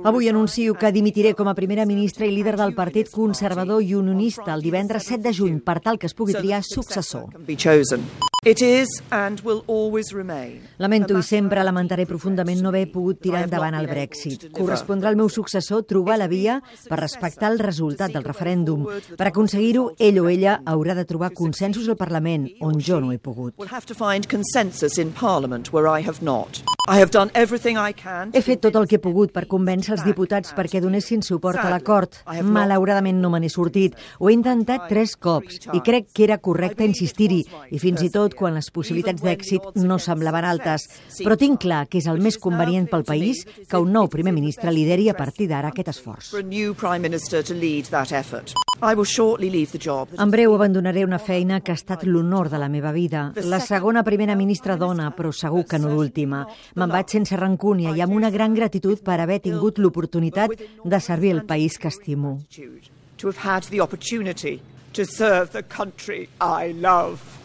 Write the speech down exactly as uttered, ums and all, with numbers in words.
Avui anuncio que dimitiré com a primera ministra i líder del Partit Conservador i Unionista el divendres set de juny per tal que es pugui triar successor. Lamento i sempre lamentaré profundament no haver pogut tirar endavant el Brexit. Correspondrà al meu successor trobar la via per respectar el resultat del referèndum. Per aconseguir-ho, ell o ella haurà de trobar consensos al Parlament, on jo no he pogut. He fet tot el que he pogut per convèncer els diputats perquè donessin suport a l'acord. Malauradament no me n'he sortit. Ho he intentat tres cops i crec que era correcte insistir-hi, i fins i tot quan les possibilitats d'èxit no semblaven altes. Però tinc clar que és el més convenient pel país que un nou primer ministre lideri a partir d'ara aquest esforç. En breu abandonaré una feina que ha estat l'honor de la meva vida. La segona primera ministra dona, però segur que no l'última. Me'n vaig sense rancúnia i amb una gran gratitud per haver tingut l'oportunitat de servir el país que estimo. To have had the opportunity to serve the country I love.